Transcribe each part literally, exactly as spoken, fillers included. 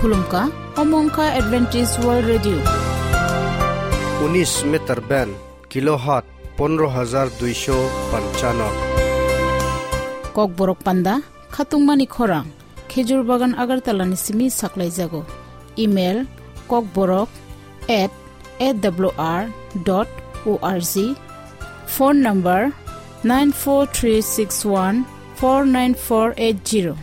Khulumkha, omo wngkha Adventist World Radio. Unis meter band, kilohertz pondro hajar duisho panchano. Kokborok panda, khatungmani khorang, Khejur Bagan Agartala ni simi saklaijago. Email, kokborok at A W R dot O R G. Phone number, nine four three six one four nine four eight zero.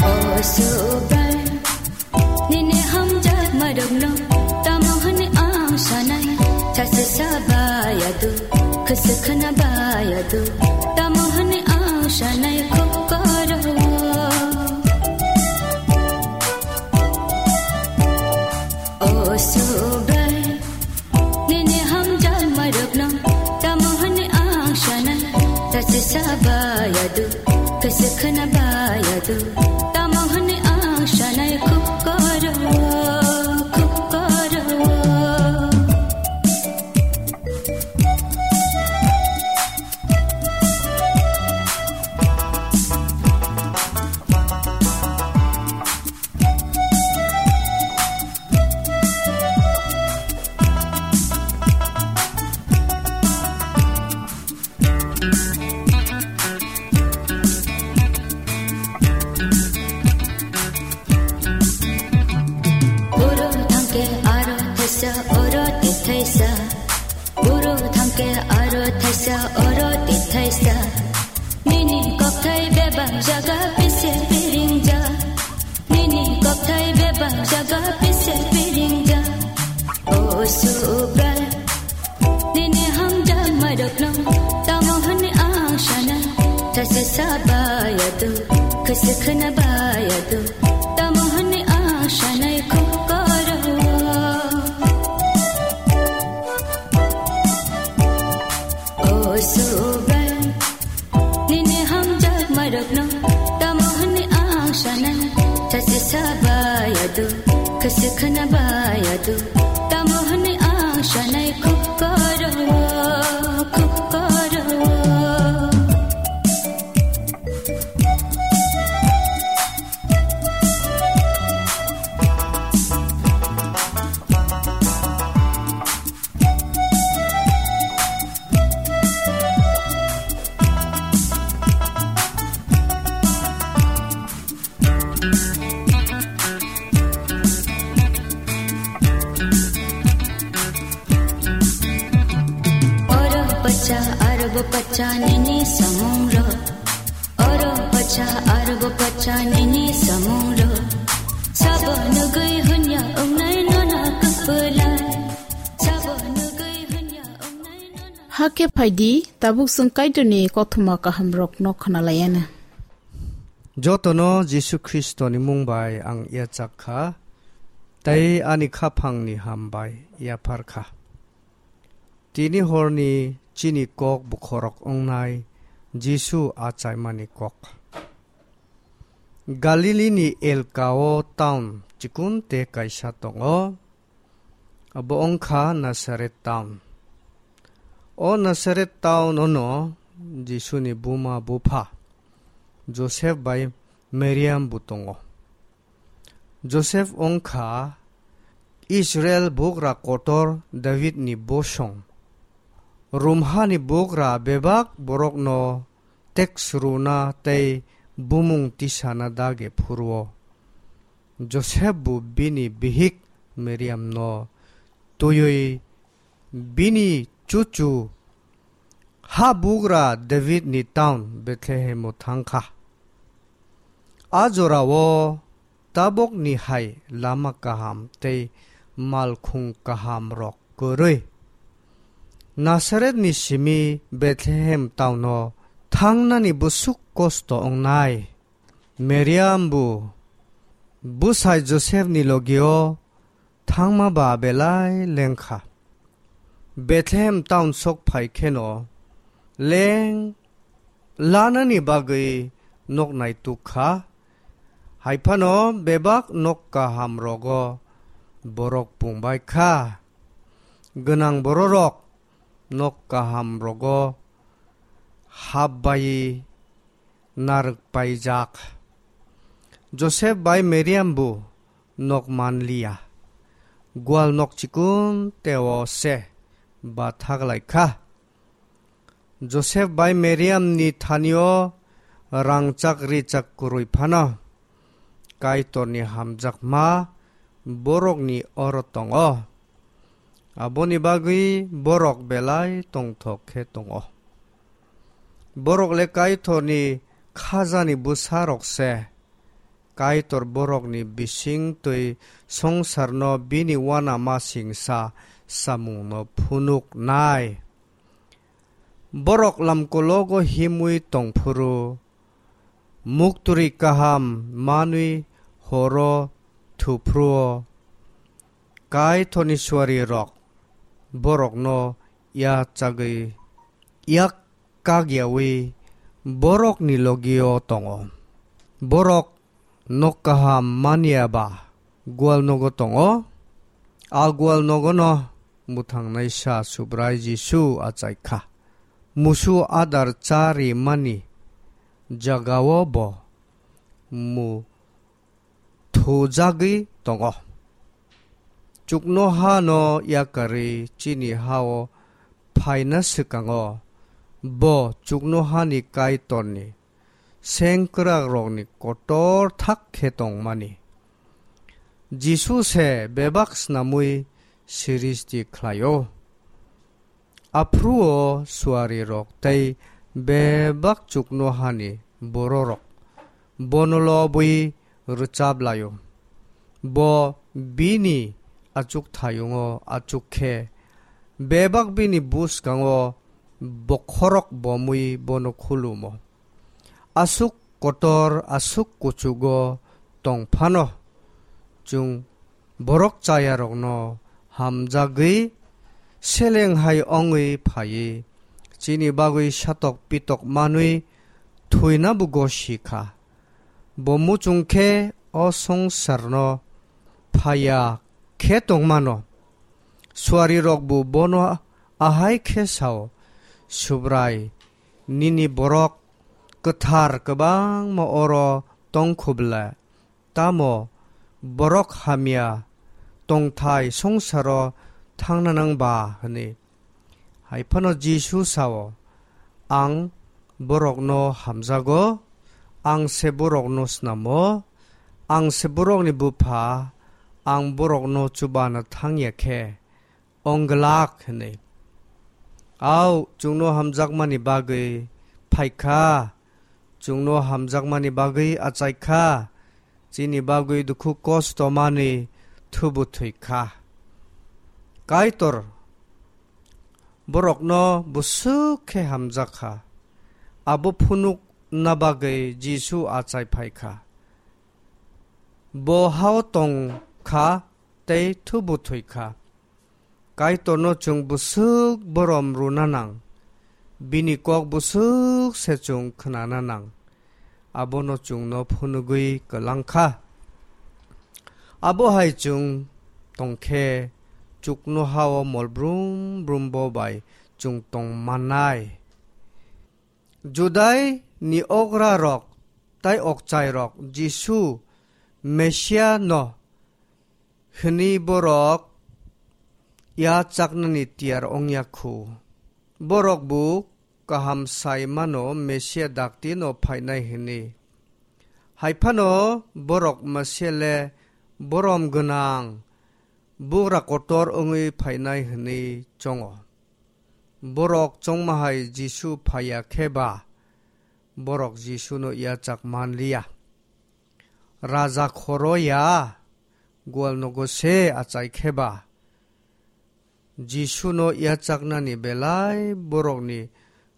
O Subrai, nini hamjakmarokno tamo hwnwi ang sanai? Sachi sa bayadu, khwswk khwna bayadu, tamo hwnwi ang sanai khuk koro. O Subrai, nini hamjakmarokno tamo hwnwi ang sanai? Sachi sa bayadu, khwswk khwna bayadu, tamo hwnwi ang sanai khuk koro, khuk koro. Oro thangke aro thaisa, oro tithaisa. Oro thangke aro thaisa, oro tithaisa. Nini kokthai bebak jaga pise piringjak. Nini kokthai bebak jaga pise piringjak. O Subrai, nini hamjakmarokno tamo hwnwi ang sanai? Sachi sa bayadu, khwswk khwna bayadu, tamo hwnwi ang sanai khuk koro. O Subrai, nini hamjakmarokno tamo hwnwi ang sanai? Sachi sa bayadu, khwswk khwna bayadu, tamo hwnwi ang sanai khuk koro, khuk koro. Oro pacha, aro bo pacha nini samungrok. Oro pacha, aro bo pacha nini samungrok. Sabo nugwi hwnya wngnai nono kwpwlai. Sabo nugwi hwnya wngnai nono. Hakhe phaidi, tabuk chwng Kaitorni kothoma kahamrokno khwnalaiana. Jotono Jisu Khristoni mung bai ang yachak kha, tei ani khaphangni ham bai yaphar kha. Tini horni chini kok bukhorok wngnai Jisu achaimani kok. Galilini Elkao town chikun te kaisa tongo, abo wngkha Nasaret town. O Nasaret town ono Jisuni buma bupha Joseph bai Mariam bo tongo. Joseph wngkha Israel bugra kotor Davidni bosong. Romhani bugra bebak borokno teks rwna tei bumung tisana dagi phuru-o. Joseph bo bini bihik Mariamno twiwi bini chuchu habugra Davidni town Bethlehemo thangkha. A jorao tabokni hai lama kaham tei malkhung kahamrok kwrwi. Nasaretni simi Bethlehem tauno thangnani bwswk kosto wngnai. Meriam bo bwsai Josepni logio thangma ba belai lengkha. Bethlehem town sok phai kheno leng lanani bagwi nok naituk kha. Hai phano bebak nok kaham rogo borok pungbai kha. Gwnang bororok nok kaham rogo hap bai narwk paijak. Joseph bai Meriam bo nok man liya. Gwal nok chikon teo se ba thaglai kha. Joseph bai Meriam ni thanio rangchak richak kwrwi phano Kaitorni hamjakma borokni oro tongo. Aboni bagwi borok belai tongthok khe tongo. Borok le Kaitorni khajani bwsarok se. Kaitor borokni bising twi songsarno bini uanama singsa samungno phunuknai. Borok lamkologo himwi tongphuru, muktwrwi kaham manwi horo thuphruo, Kaitorni suarirok borokno yachagwi yak kagyawi borokni logio tongo. Borok nok kaham manya ba gwal nogo tongo. A gwal nogono mwthangnaisa Subrai Jisu achai kha. Musu adar cha rimani jagao bo mu thujagwi tongo. Chuknohano yakarwi chini hao phaina swkango, bo chuknohani Kaitorni sengkwrakrokni kotor thak khe tongmani. Jisu se bebak snamwi siristi khlaio. Aphruo suarirok tei bebak chuknohani bororok bono lobwi rwchap laio. Bo bini achukthayungo achuk khe bebak bini bwskango bokhorok bomwi bono khulumo. Aswk kotor, aswk kuchugo tong phano, chwng borok chayarokno hamjagwi seleng hai wngwi phaiwi chini bagwi satok pitok manwi thwina bo gosi kha. Bo muchung khe o songsarno phaiya khe tongmano. Suarirok bo bono ahai khe sao, Subrai, nini borok kwthar kwbangma oro tong khu bwle, tamo borok hamya tongthai songsaro thangna nang ba? Hwnwi. Hai phano Jisu sao, ang borokno hamjago, ang se borokno snamo, ang se borokni bupha, ang borokno chubana thangya khe ong glak hwnwi. Au, chwngno hamjakmani bagwi phai kha, chwngno hamjakmani bagwi achai kha, chini bagwi dukhu kosto manwi thubu thwi kha. Kaitor borokno bwswk khe hamjak kha, abo phunukna bagwi Jisu achai phai kha. Bo hao tong kha tei thubu thwi kha. Kaitorno chwng bwswk borom rwna nang, bini kok bwswk se chwng khnana nang, abono chwngno phunugwi kwlang kha. Abo hai chwng tong khe chuknohao mol brum brum bo bai chwng tong mannai. Judai ni okrarok tai okchairok Jisu Mesia no hwnwi borok ya chaknani tiyar ongya khu. Borok bo kaham sai mano Mesia dakti no phainai hwnwi. Hai phano borok Mesia le borom gwnang, bugra kotor wngwi phainai hwnwi chongo. Borok chongma hai Jisu phaiya khe ba, borok Jisuno yachak man liya. Raja khoro ya, gwal nogo se achai khe ba, Jisuno yachaknani belai borokni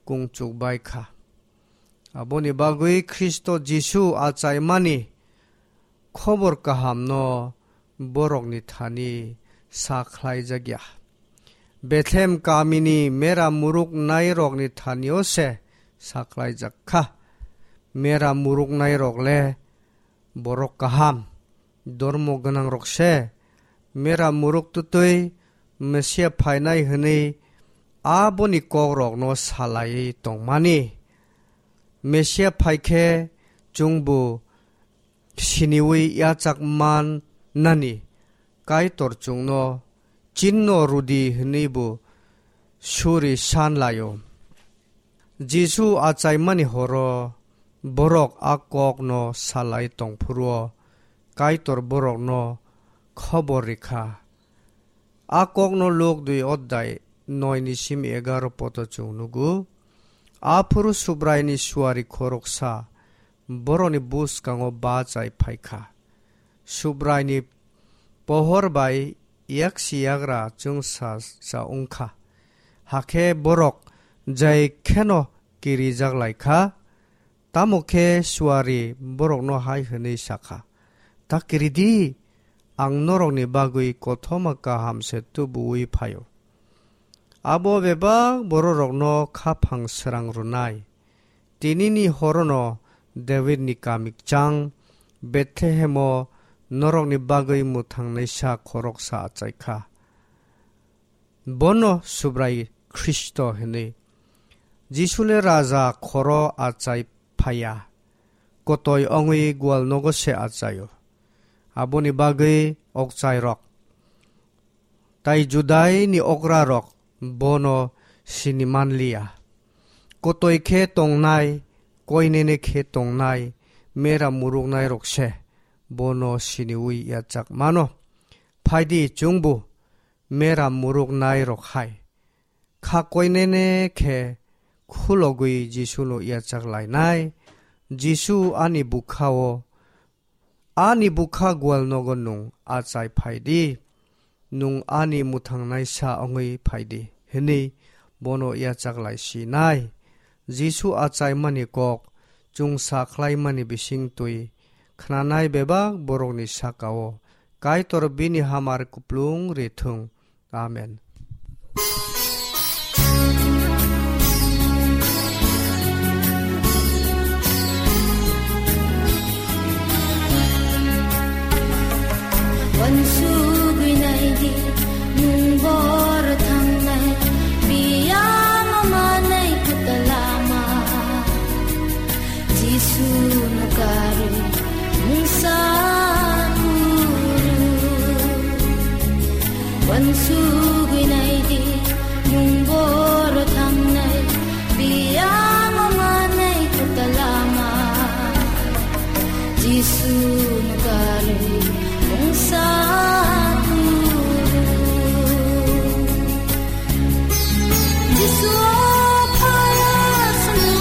kung chuk bai kha. Aboni bagwi Khristo Jisu achaimani khobor kahamno borokni thani sa khlaijak ya. Bethlehem kamini mera muruknairokni thanio se sa khlaijak kha. Mera muruknairok le borok kaham, dormo gwnangrok se. Mera muruk twtwi Mesia phainai hwnwi aboni kokrokno salaiwi tongmani. Mesia phai khe chwngbo siniwi yachak man nani Kaitor chwngno chinno rwdi hwnwi bo suri san laio. Jisu achaimani horo borok a kokno salai tongphuru-o Kaitor borokno khobor rikha. A kokno Luk dui odhai noi ni simi egaroh poto chwng nugo. Aphuru Subraini suari khoroksa borokni bwskango bachai phaikha. Subraini pohor bai yaksi yagra chwngsa sa wngkha. Hakhe borok jai kheno kirijak laikha. Tamo khe suari borokno hai hwnwi sakha, "Ta kiri di, ang norokni bagwi kothoma kaham se tubu-ui phaio." Abo bebak bororokno khaphang srang rwnai. Tinini horono Davidni kami kchang Bethlehemo norokni bagwi mwthangnaisa khoroksa achaikha. Bono Subrai Khristo hwnwi. Jisule raja khoro achai phaiya, kotoi ongwi gwal nogo se achaio. Aboni bagwi okchairok tai Judaini okrarok bono sini manliya. Kotoi khe tongnai, koinene khe tongnai, mera muruknairok se bono siniwi yachak mano. Phaidi chwngbo mera muruknairok hai kha koinene khe khulogwi Jisuno yachak lainai. "Jisu ani bwkha-o, ani bwkha gwal nogo nwng achai phaidi, nwng ani mwthangnaisa ongwi phaidi," hwnwi bono yachak lai sinai. Jisu achaimani kok chwngsa khlaimani bisingtwi khnanai bebak borokni saka-o Kaitor bini hamari kuplung rithwng. Amen. Wansugwi naidi, nwng bor thangnai, biyang manai kwtal lama. Jisu no karwi mungsa kuru. Wansugwi naidi, nwng bor thangnai, biyang manai kwtal lama. Jisu no karwi mungsa kuru. Jisu phaya sanu,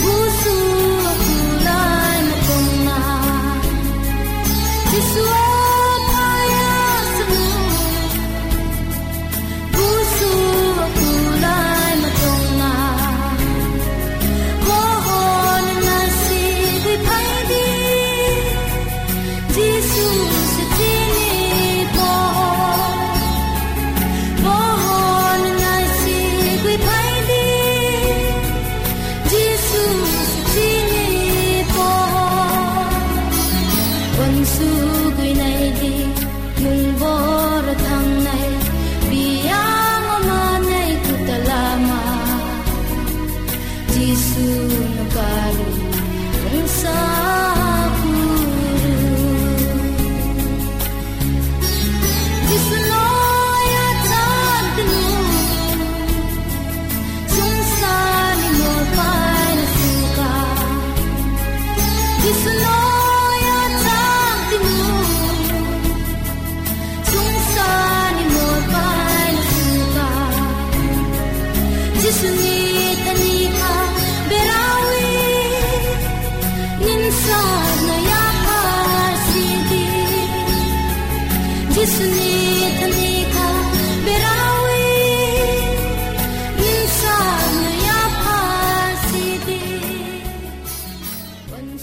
busu kulai matongna. Jisu phaya sanu, busu kulai matongna. Mohon nasi di phaidi, Jisu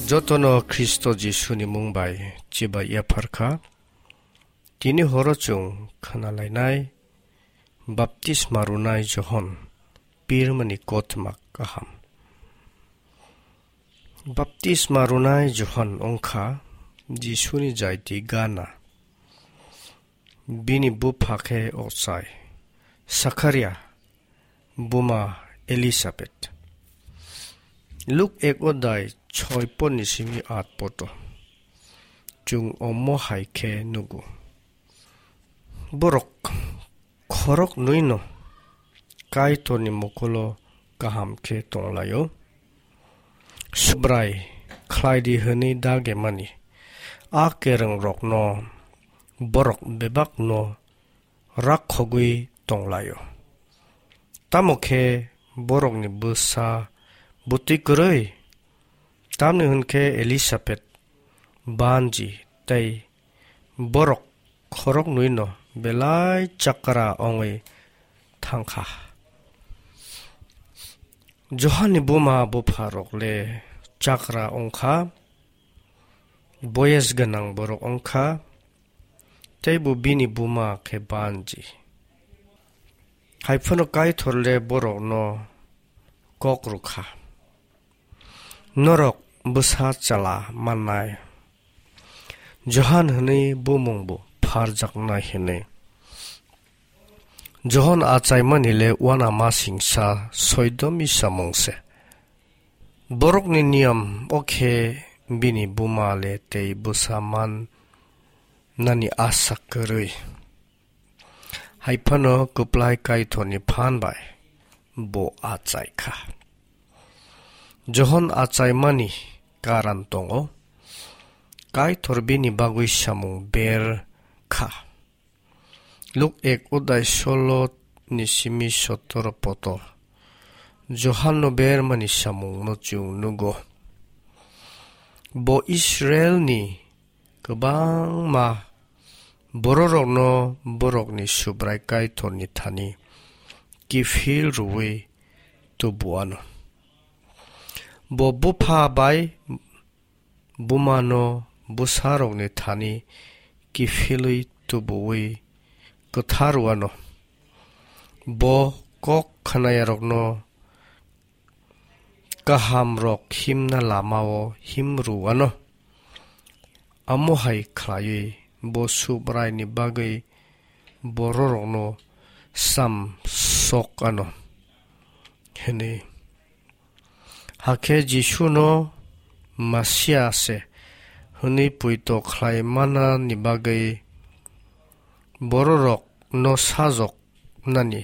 Jotono Khristo Jisuni mung bai chibai yaphar kha. Tini horo chwng khna lainai baptisma rwnai Johon pirmani kothoma kaham. Baptisma rwnai Johon wngkha Jisuni jaiti gana. Bini bupha khe ochai Sakharia, buma Elisabet. Luk ek odai choi ponni simi at poto. Chwng omo hai khe nugo. Borok khorok nwi no Kaitorni mokulo kaham khe tonglaio. Subrai khlai di hwnwi dage mani a kereng rokno borok bebak no rakhogwi tonglaio. Tamo khe borokni bwsa bwtwi kwrwi, tamni hwn khe Elisabet banji tei borok khorok nwi no belai chakra ongwi thangkha. Johanni buma bupha rok le chakra ongkha, boyes gwnang borok ongkha, tei bo bini buma khe banji. Hai phano Kaitor le borokno kok rwkha, "Norok bwsa chala mannai." Johan hwnwi bumung bo pharjaknai hwnwi. Johon achaimani le uana masingsa soidomi samung se. Borokni niyam o khe bini buma le tei bwsa man nani asa kwrwi. Hai phano kwplai Kaitorni phan bai bo achai kha. Johon achaimani karan tongo. Kaitor bini bagwi samung ber kha. Luk ek odai solo ni simi sotoro poto. Johanno bermani samungno chwng nugo. Bo Israelni kwbangma bororokno borokni Subrai Kaitorni thani kiphil rwui tubuano. Bo bupha bai bumano bwsarokni thani kiphilwi tubuwi kwtharwano. Bo kok khnayarokno kahamrok himna lamao himrwano. Amo hai khlaiwi bo Subraini bagwi bororokno sam sok ano hwnwi. Hakhe Jisuno Masia se hwnwi poito khlai manani bagwi bororokno sajoknani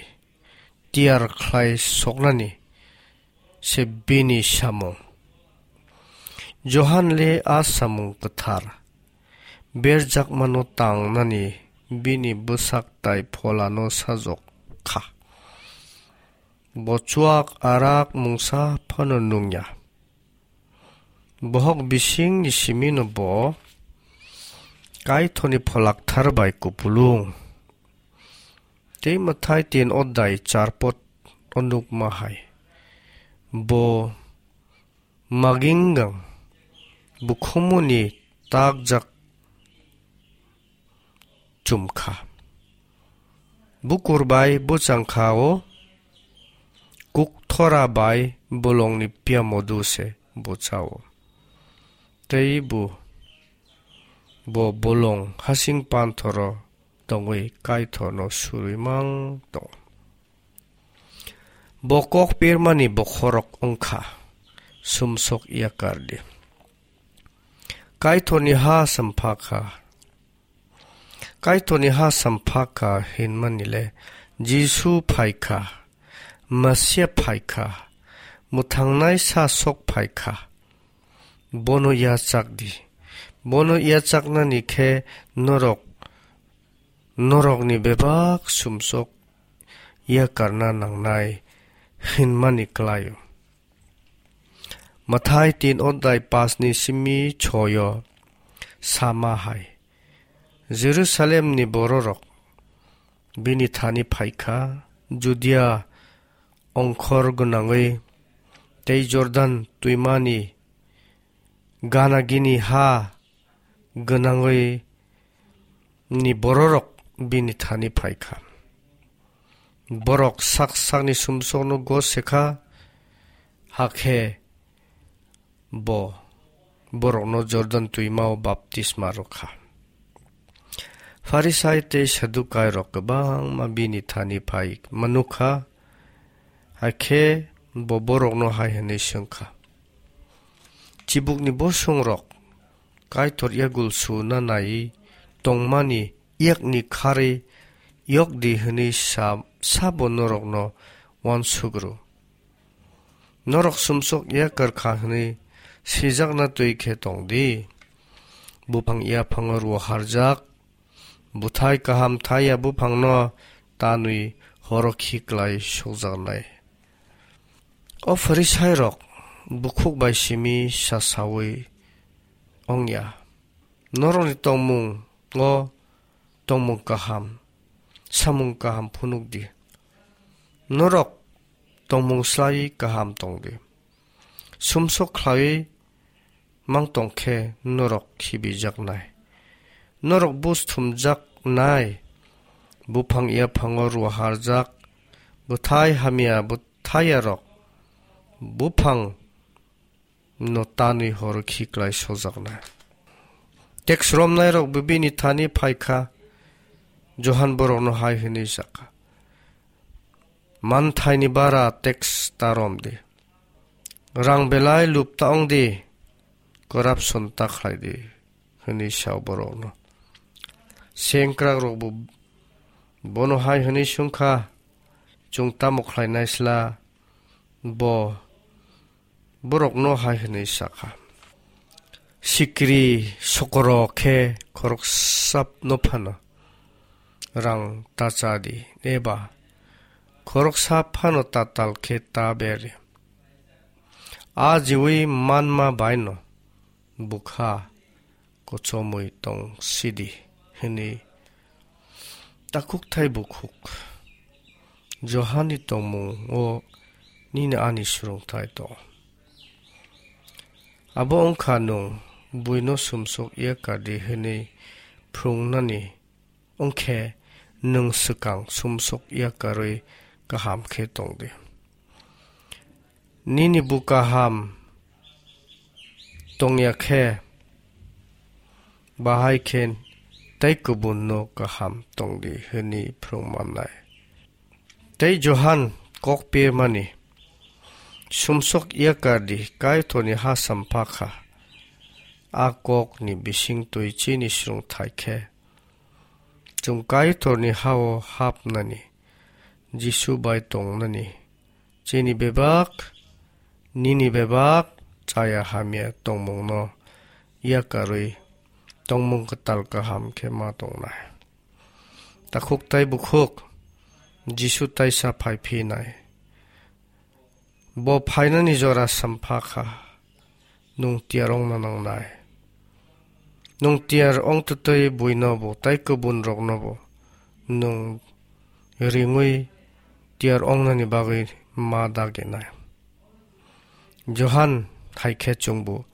tiyar khlai soknani se bini samung. Johan le a samung kwthar berjakmano tangnani bini bwsak tai pholano sajok kha. Bo chuak arak mungsa phano nungya. Bohok bisingni simino bo Kaitorni pholakthar bai kupulung. Tei Mathai tin odai charpot onukma hai. Bo maginggang bukhumuni takjak chumkha. Bukur bai bwchangkha o, kukthora bai bolongni piamodu se bwchao. Tei bo, bo bolong hasing panthoro tongwi Kaitorno surwi mang tong. Bo kok pirmani bokhorok wngkha, sumsok yakardi. Kaitorni ha sampha kha. Kaitorni ha sampha kha hinmani le Jisu phai kha, Masia phai kha, mwthangnai sa sok phai kha. Bono yachak di. Bono yachaknani khe norok, norokni bebak sumsok yakarna nangnai hinmani klaio. Mathai tin odai pasni simi choyo sama hai. Jerusalemni bororok bini thani phaikha, Judia ongkhor gwnangwi tei Jordan twimani gana gini ha gwnangwi ni bororok bini thani phai kha. Borok sak sakni sumsokno gose kha, hakhe bo borokno Jordan twimao baptisma rw kha. Pharisai tei Sadukairok kwbangma bini thani phai manuk kha, hakhe bo borokno hai hwnwi swng kha, "Chibukni bosongrok Kaitor yagul suna naiwi tongmani yakni kharwi yok di hwnwi sa, sabo norokno uansuk rw? Norok sumsok yakar kha hwnwi sijakna twi khe tong di. Buphang yaphango rw harjak, bwthai kaham thai ya buphangno tanwi horo khiklai sokjaknai." O Pharisairok bukhuk bai simi sasaui ong ya, "Norokni tongmungo tongmung kaham, samung kaham phunuk di. Norok tongmung slaiwi kaham tong di. Sumsok khlaiwi mang tong khe norok khibijaknai. Norok bus thumjaknai, buphang yaphango rw harjak, bwthai hamya bwthairok buphang no tanwi horo khiklai sojaknai." Teks romnairok bo bini thani phai kha, Johan borokno hai hwnwi sa kha, "Manthaini bara teks ta rom di. Rang belai lup ta ong di, corruption ta khlai di," hwnwi sa borokno. Sengkrakrok bo bono hai hwnwi swng kha, "Chwng tamo khlainai sla?" Bo borokno hai hwnwi sa kha, "Sikri sokoro khe khoroksano phano rang ta cha di, eba khoroksa phano tatal khe ta ber di. A jiwi manma baino bwkha kochomwi tong sidi," hwnwi takhukthai bukhuk Johani tongmungo nini ani surungthai tong. Abo wngkha nwng buino sumsok ya kardi hwnwi phrwngnani wngkhe nwng swkang sumsok ya karwi kaham khe tongdi. Nini bu kaham tongya khe, bahai khe tei kubunno kaham tongdi hwnwi phrwng mannai. Tei Johan kok pirmani, sumsok ya kardi, Kaitorni ha sampha kha. A kokni bisingtwi chini srwngthai khe, chwng Kaitorni ha-o hapnani, Jisu bai tongnani, chini bebak, nini bebak chaya hamya tongmungno yakarwi tongmung kwtal kaham khe ma tongnai. Takhuk tei bukhuk Jisu taisa phai phinai. Bo phainani jora sampha kha, nwng tiyar wngna nangnai. Nwng tiyar wng twtwi buinobo tei kubunroknobo nwng ringwi tiyar wngnani bagwi ma daginai. Johan hai khe chwngbo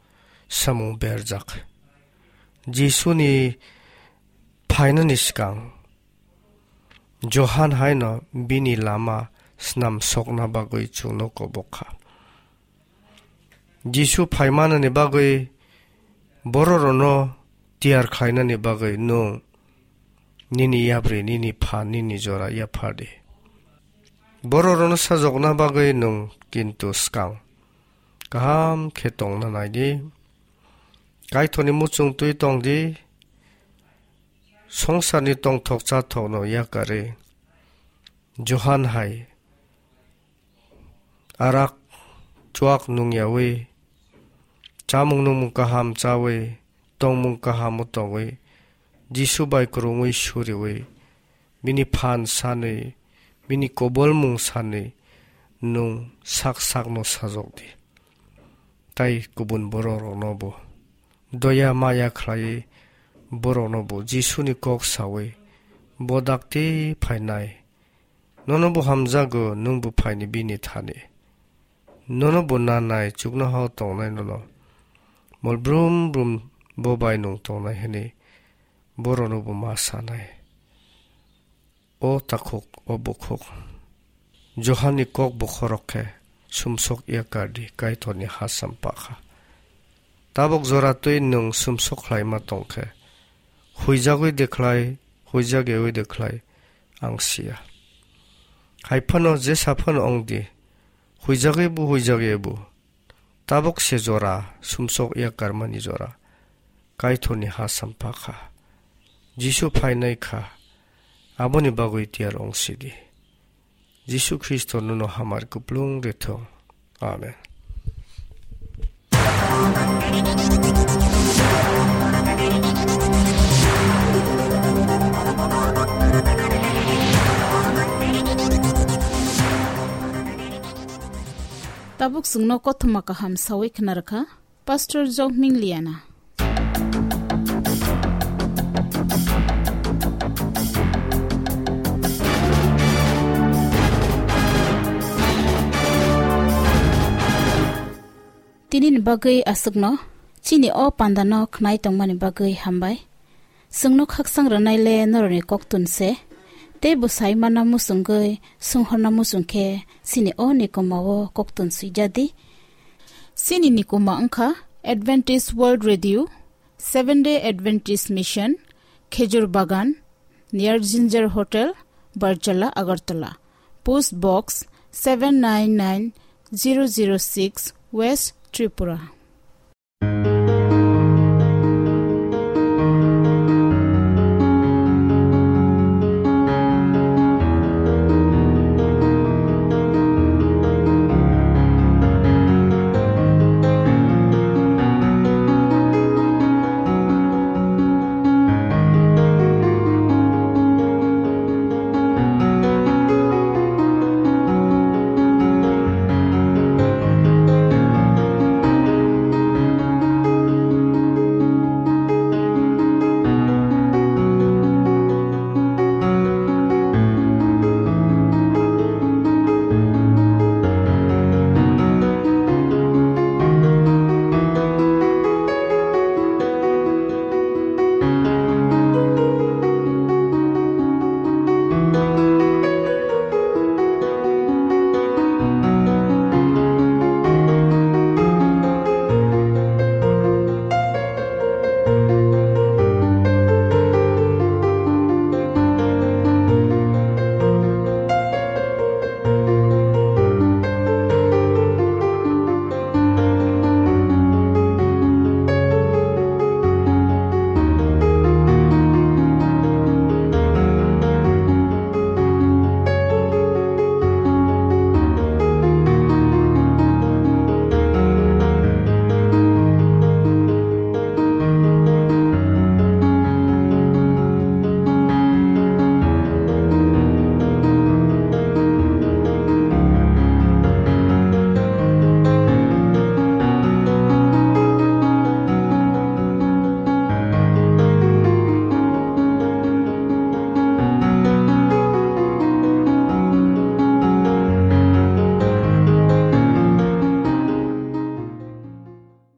samung berjak. Jisuni phainani swkang Johan haino bini lama snam sokna bagwi chwngno kobok kha. Jisu phaimanani bagwi, bororokno tiyar khlainani bagwi nwng nini yapri, nini pha, nini jora yaphar di. Bororokno sajokna bagwi nwng kintu swkang kaham khe tongna nai di. Kaitorni muchung twi tong di. Songsarni tongthok chathokno yakarwi Johan hai arak chuak nungyawi, chamung nungmung kaham chawi, tongmung kahamo tongwi, Jisu bai kwrwngwi suriwi, bini phan sanwi, bini kobolmung sanwi nwng sak sakno sajok di. Tai kubun bororoknobo doya maya khlaiwi boroknobo Jisuni kok sawi, "Bo dakti phainai, nono bo hamjago, nwng bo phaini bini thani. Nono bo nanai, chuknohao tongnai nono. mol brum brum bo bai nwng tongnai hwnwi borokno bo ma sanai. O takhuk, o bukhuk, Johani kok bokhorok khe sumsok yakar di, Kaitorni ha sampakha. Tabuk jora twi nwng sumsok khlaima tong khe, huijagwi de khlai, huijak yaui de khlai, ang siya. Hai phano jesa phano wng di, huijagwi bo, huijak yaui bo, tabuk se jora sumsok yakarmani jora Kaitorni ha sampakha. Jisu phainai kha, aboni bagwi tiyar wng sidi. Jisu Khristo nono hamari kuplung rithung. Amen. Tabuk chwngno kothoma kaham sawi khna rwkha Pastor Jokming Liana. Tinini bagwi aswkno chini o pandano khnai tongmani bagwi hambai. Chwngno khaksang rwnai le norokni koktun se, tei bwsai mana muchungwi sunghorna muchung khe chini o nikoma o koktun swijadi. Chini nikoma wngkha Adventist World Radio, Seventh Day Adventist Mission, Khejur Bagan, near Ginger Hotel, Barjala, Agartala. Post Box seven nine nine zero zero six, West Tripura.